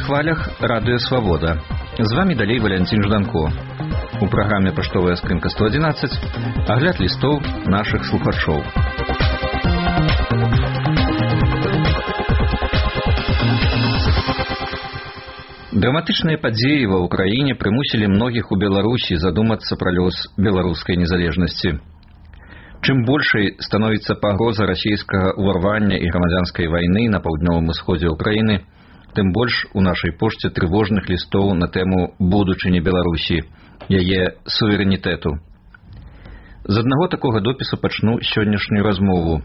хвалях радыё «Свабода». З вами далей Валянцін Жданко. У праграме «Паштовая скрынка 111» агляд лістоў нашых слухачоў. Драматычныя падзеі ва ўкраіне прымусілі многіх у Беларусі задумацца пра лёс беларускай незалежнасці. Чым большай становіцца пагроза расійскага ўварвання і грамадзянскай вайны на паўднёвым усходзе ўкраіны, тым больш у нашай пошце трывожных лістоў на тэму будучыні Беларусі, яе суверэнітэту. З аднаго такога допісу пачну сённяшнюю размову.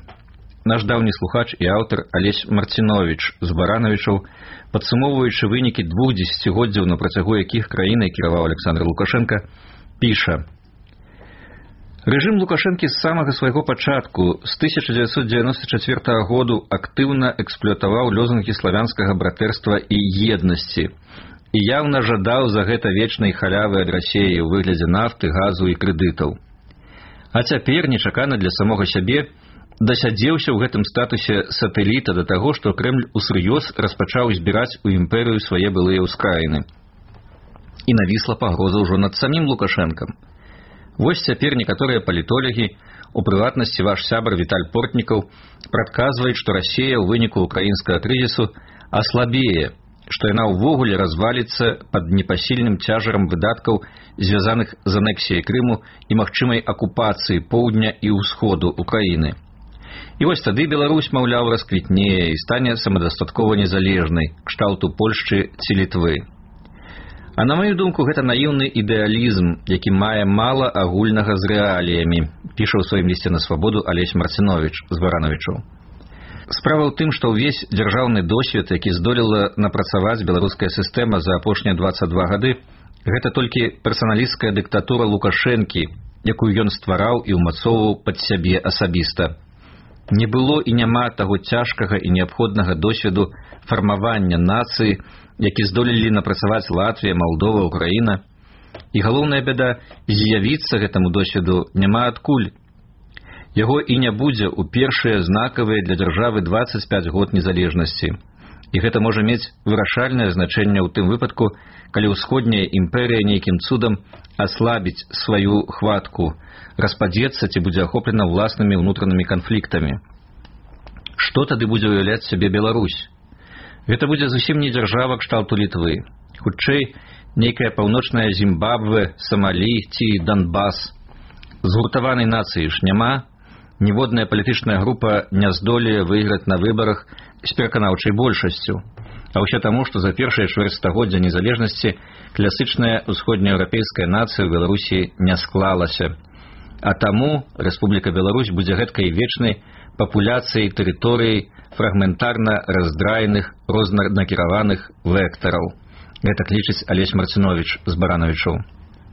Наш даўні слухач і аўтар Алесь Марцинович з Барановичаў, падсумоўваючы вынікі 2 дзесяцігоддзяў, на працягу якіх краінай кіраваў Александр Лукашенко, піша: «Рэжым Лукашэнкі з самага свайго пачатку, з 1994 году, актыўна эксплуатаваў лозунгі славянскага братэрства і еднасці і яўна жадаў за гэта вечнай халявы ад Расіі ў выглядзе нафты, газу і крэдытаў. А цяпер, нечакана для самога сябе, дасядзеўся ў гэтым статусе сатэліта да таго, што Крэмль усур'ёз распачаў збіраць у імперыю свае былыя ўскраіны. І навісла пагроза ўжо над самім Лукашэнкам. Вось цяпер некаторыя палітолагі, у прыватнасці ваш сябар Віталь Портнікаў, прадказваюць, што Расія ў выніку ўкраінскага крызісу аслабее, што яна ўвогуле разваліцца пад непасільным цяжарам выдаткаў, звязаных з анексіяй Крыму і магчымай акупацыі поўдня і ўсходу Украіны. І вось тады Беларусь, маўляў, расквітнее і стане самадастаткова незалежнай, кшталту Польшчы ці Літвы. А на маю думку, гэта наіўны ідэалізм, які мае мала агульнага з рэаліямі, піша ў сваім лісце на «Свабоду» Алесь Марцинович з Барановичаў. Справа ў тым, што ўвесь дзяржаўны досвед, які здолела напрацаваць беларуская сістэма за апошнія 22 гады, гэта толькі персаналісцкая дыктатура Лукашэнкі, якую ён ствараў і ўмацоўваў пад сябе асабіста. Не было і няма таго цяжкага і неабходнага досведу фармавання нацыі, які здолелі напрацаваць Латвія, Малдова, Украіна. І галоўная бяда, з'явіцца гэтаму досведу няма адкуль. Яго і не будзе ў першыя знакавыя для дзяржавы 25 год незалежнасці. І гэта можа мець вырашальнае значэнне ў тым выпадку, калі ўсходняя імперыя нейкім цудам аслабіць сваю хватку, распадзецца ці будзе ахоплена ўласнымі ўнутранымі канфліктамі. Што тады будзе уяўляць сябе Беларусь? Гэта будзе зусім не дзяржава кшталту Літвы. Хутчэй, нейкая паўночная Зімбабве, Самалі ці Донбас. Згуртаванай нацыі ж няма, ніводная палітычная група не здолее выйграць на выбарах з пераканаўчай большасцю. А ўсё таму, што за першае чвэрцьстагоддзя незалежнасці класычная ўсходнееўрапейская нацыя ў Беларусі не склалася. А таму Рэспубліка Беларусь будзе гэткай вечнай папуляцыяй тэрыторыі фрагментарна раздраеных, рознанакіраваных вектараў. Гэта лічыць Алесь Марцинович з Барановичаў.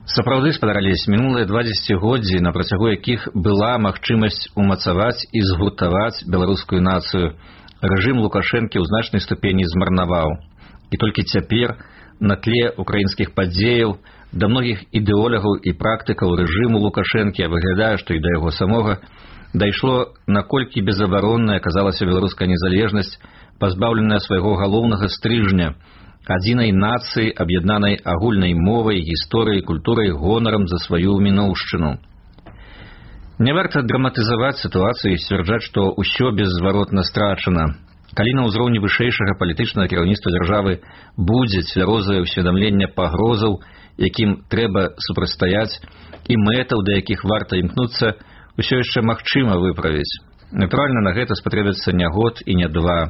Сапраўды, спадарались, мінулыя 2 дзесяцігоддзі, на працягу якіх была магчымасць умацаваць і згуртаваць беларускую нацыю, рэжым Лукашэнкі ў значнай ступені змарнаваў. І толькі цяпер, на тле украінскіх падзеяў, да многіх ідэолягаў і практыкаў рэжыму Лукашэнкі, выглядае, што і да яго самога, дайшло, наколькі безабаронная аказалася беларуская незалежнасць, пазбаўленая свайго галоўнага стрыжня, адзінай нацыі, аб'яднанай агульнай мовай, гісторыяй, культурай, гонарам за сваю мінуўшчыну. Не варта драматызаваць сітуацыю і сцвярджаць, што ўсё беззваротна страчана. Калі на ўзроўні вышэйшага палітычнага кіраўніцтва дзяржавы будзе цвярозае ўсведамленне пагрозаў, якім трэба супрацьстаяць, і мэтаў, да якіх варта імкнуцца, усё яшчэ магчыма выправіць. Натуральна, на гэта спатрэбіцца не год і не 2.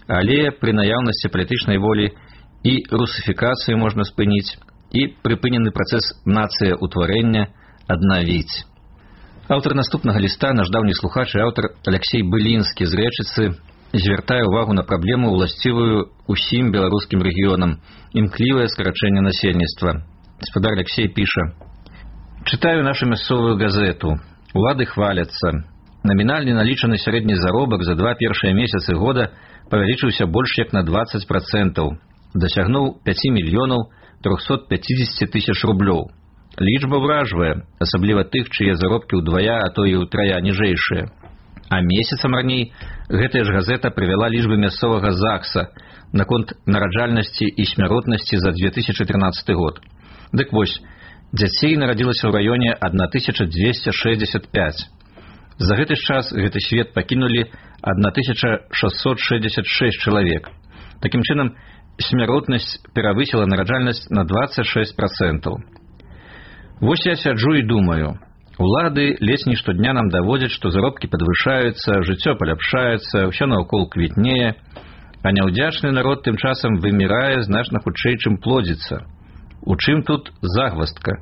Але пры наяўнасці палітычнай волі і русіфікацыю можна спыніць, і прыпынены працэс нацыя-утварэння аднавіць. Аўтар наступнага ліста, наш даўні слухач і аўтар Алексей Былінскі з Рэчыцы, звяртае ўвагу на праблему, уласцівую усім беларускім рэгіёнам, імклівае скарачэнне насельніцтва. Гаспадар Алексей піша: «Чытаю нашу мясцовую газету. Улады хваляцца. Намінальны налічаны сярэдні заробак за 2 першыя месяцы года павялічыўся больш як на 20%, дасягнуў 5 мільёнаў 350 тысяч рублёў. Лічба ўражвае, асабліва тых, чые заробкі ўдвая, а то і ўтрая ніжэйшыя. А месяцам раней гэтая ж газета прывяла лічбы мясцовага ЗАГСа, наконт нараджальнасці і смяротнасці за 2013 год. Дык вось, дзяцей нарадзілася ў раёне 1265. За гэты час гэты свет пакінулі 1666 чалавек. Такім чынам, смяротнасць перавысіла нараджальнасць на 26%. Вось я сяджу і думаю, улады ледзь не штодня нам даводзяць, што заробкі падвышаюцца, жыццё паляпшаецца, ўсё наўкол квітнее, а няўдзячны народ тым часам вымірае значна хутчэй, чым плодзіцца. У чым тут загваздка?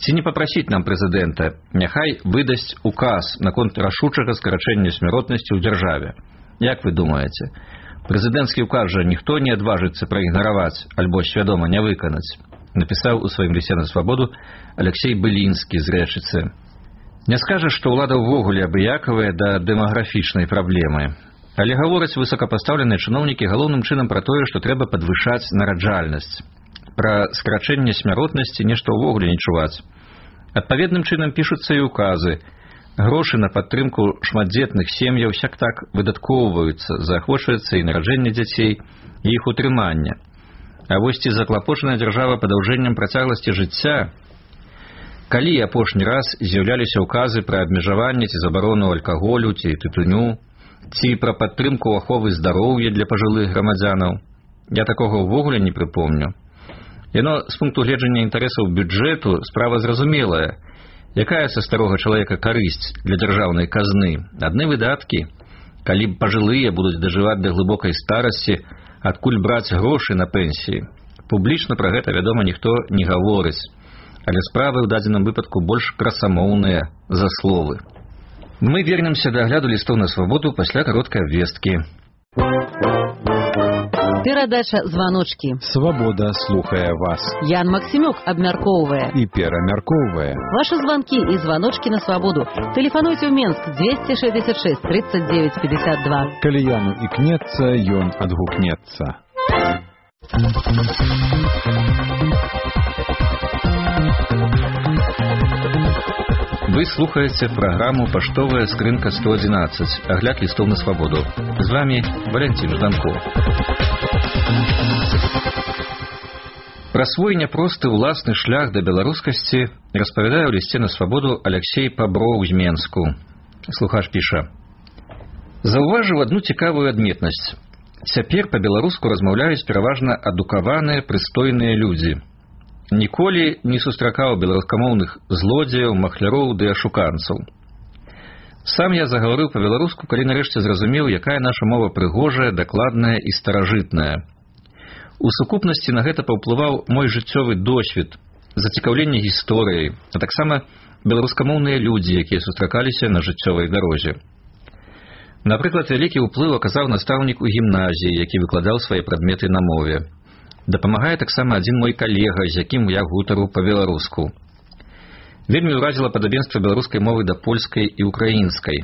Ці не папрасіць нам прэзідэнта, няхай выдасць указ наконт рашучага скарачэння смяротнасці ў дзяржаве. Як вы думаеце? Прэзідэнцкі ўказ жа ніхто не адважыцца праігнараваць альбо свядома не выканаць, напісаў у сваім лісце на свабоду Алексей Былінскі з Рэчыцы. Не скажа, што ўлада ўвогуле абыякавая да дэмаграфічнай праблемы, але гавораць высокапастаўленыя чыноўнікі галоўным чынам пра тое, што трэба падвышаць нараджальнасць. Пра скарачэнне смяротнасці нешта ўвогуле не чуваць. Адпаведным чынам пішуцца і ўказы. Грошы на падтрымку шматдзетных сем'яў сяк-так выдаткоўваюцца, заахвочваецца і нараджэнне дзяцей, і іх утрыманне. А вось ці заклапочаная дзяржава падаўжэннем працягласці жыцця? Калі апошні раз з'яўляліся ўказы пра абмежаванне ці забарону алкаголю ці тытуню, ці пра падтрымку аховы здароўя для пажылых грамадзянаў? Я такога ўвогуле не прыпомню. Яно з пункту гледжання інтарэсаў бюджэту справа зразумелая. Якая са старога чалавека карысць для дзяржаўнай казны? Адны выдаткі. Калі пажылыя будуць дажываць да глыбокай старасці, адкуль браць грошы на пенсіі? Публічна пра гэта, вядома, ніхто не гаворыць. Але справы ў дадзеным выпадку больш красамоўныя за словы. Мы вернемся да агляду лістоў на свабоду пасля кароткай абвесткі. Перадача «Званочки». Свабода слухае вас. Ян Максимюк абмяркоўвае І перамяркоўвае. Ваши звонки и звоночки на свободу. Телефонуйте в Минск 266 39 52. Калі Яну ікнецца, ён адгукнецца. Вы слухаеце праграму «Паштовая скрынка 111», агляд лістоў на свабоду. З вами Валентин Жданков. Пра свой няпросты ўласны шлях да беларускасці распавядае ў лісце на свабоду Алексей Паброў з Менску. Слухач піша: «Заўважыў адну цікавую адметнасць. Цяпер па-беларуску размаўляюць пераважна адукаваныя, прыстойныя людзі. Ніколі не сустракаў беларускамоўных злодзеяў, махляроў ды ашуканцаў. Сам я загаварыў па-беларуску, калі нарэшце зразумеў, якая наша мова прыгожая, дакладная і старажытная. У сукупнасці на гэта паўплываў мой жыццёвы досвед, зацікаўленне гісторыяй, а таксама беларускамоўныя людзі, якія сустракаліся на жыццёвай дарозе. Напрыклад, вялікі ўплыў аказаў настаўнік у гімназіі, які выкладаў свае прадметы на мове. Дапамагае таксама адзін мой калега, з якім я гутару па-беларуску. Вельмі ўразіла падабенства беларускай мовы да польскай і украінскай.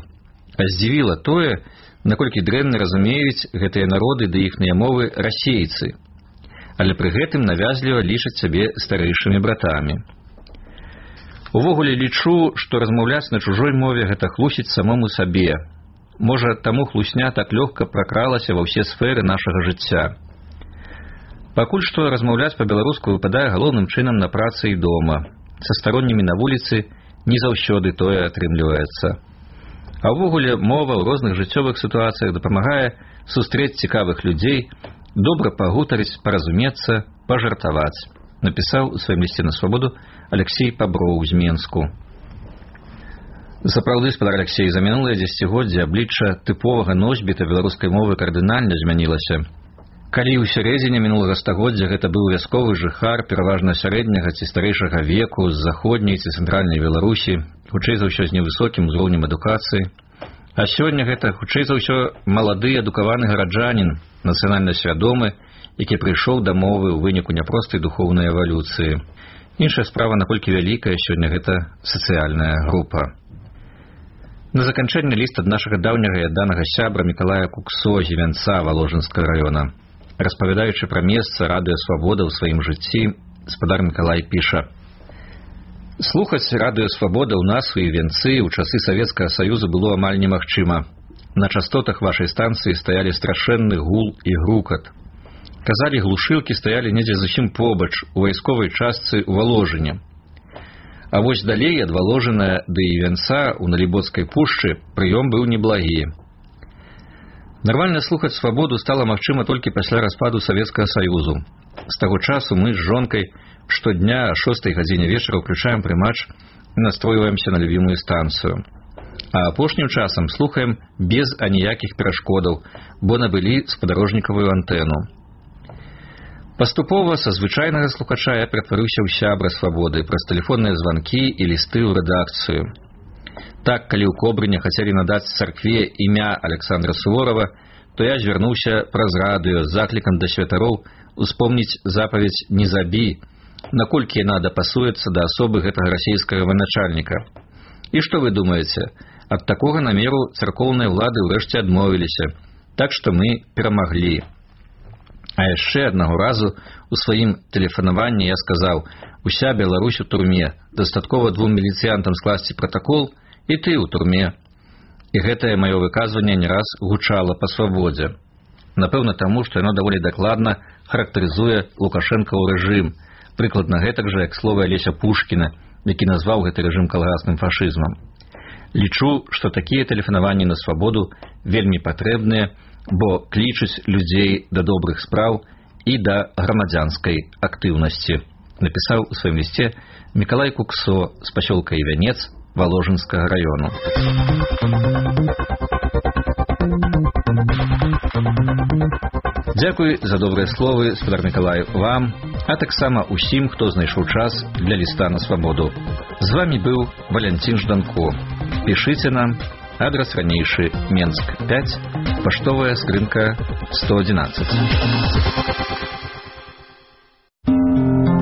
А здзівіла тое, наколькі дрэнна разумеюць гэтыя народы ды іхныя мовы расейцы, але пры гэтым навязліва лічаць сябе старэйшымі братамі. Увогуле лічу, што размаўляць на чужой мове гэта хлусіць самому сабе. Можа, таму хлусня так лёгка пракралася ва ўсе сферы нашага жыцця. Пакуль што размаўляць па-беларуску выпадае галоўным чынам на працы і дома. Са староннімі на вуліцы не заўсёды тое атрымліваецца. А ўвогуле мова ў розных жыццёвых сітуацыях дапамагае сустрэць цікавых людзей, добра пагутарыць, паразумецца, пажартаваць, напісаў у сваім лісце на свабоду Алексей Паброў з Менску. Сапраўды, спадар Алексей, за мінулыя дзесяцігоддзі аблічча тыповага носьбіта беларускай мовы кардынальна змянілася. Калі ў сярэдзіне мінулага стагоддзя гэта быў вясковы жыхар пераважна сярэдняга ці старэйшага веку з заходняй ці цэнтральнай Беларусі, хутчэй за ўсё з невысокім узроўнем адукацыі, а сёння гэта хутчэй за ўсё малады адукаваны гараджанін, нацыянальна свядомы, які прыйшоў да мовы ў выніку няпростай духоўнай эвалюцыі. Іншая справа, наколькі вялікая сёння гэта сацыяльная група. На заканчэнне ліст ад нашага даўняга і адданага сябра Мікалая Куксо з Івянца Валожынскага раёна. Распавядаючы пра месца радыё «Свабода» ў сваім жыцці, спадар Мікалай піша: «Слухаць радыё «Свабода» ў нас у Івянцы ў часы Савецкага Саюзу было амаль немагчыма. На частотах вашай станцыі стаялі страшэнны гул і грукат. Казалі, глушылкі стаялі недзе зусім побач у вайсковай частцы ў Валожыне. А вось далей ад Валожына да Івянца ў Наліботскай пушчы прыём быў неблагі. Нармальна слухаць свабоду стала магчыма толькі пасля распаду Савецкага Саюзу. З таго часу мы з жонкай штодня о 6 гадзіне вечара ўключаем прымач і настройваемся на любімую станцыю. А апошнім часам слухаем без аніякіх перашкодаў, бо набылі спадарожнікавую антэну. Паступова са звычайнага слухача я ператварыўся ў сябра свабоды праз тэлефонныя званкі і лісты ў рэдакцыю. Так, калі ў Кобрыне хацелі надаць царкве імя Александра Суворова, то я звярнуўся праз радыё з заклікам да святароў успомніць запаведь «Не забі», наколькі яна дапасуецца да асобы гэтага расійскага военачальніка. І што вы думаеце? Ад такога намеру царкоўныя ўлады ўрэшце адмовіліся, так што мы перамаглі. А яшчэ аднаго разу у сваім тэлефанаванні я сказаў: «Уся Беларусь у турме, дастаткова 2 міліцыянтам скласці пратакол, і ты ў турме». І гэтае маё выказванне не раз гучала па свабодзе. Напэўна таму, што яно даволі дакладна характарызуе лукашэнкаў рэжым, прыкладна гэтак жа, як словы Алеся Пушкіна, які назваў гэты рэжым калгасным фашызмам. Лічу, што такія тэлефанаванні на свабоду вельмі патрэбныя, бо клічуць людзей да добрых спраў і да грамадзянскай актыўнасці, напісаў у сваім лісце Мікалай Куксо з пасёлка Івянец Валожынскага раёну. Дзякуй за добрыя словы, спадар Мікалай, вам, а таксама ўсім, хто знайшоў час для ліста на свабоду. З вамі быў Валянцін Жданко. Пішыце нам, адрас ранейшы, Менск 5, паштовая скрынка 111.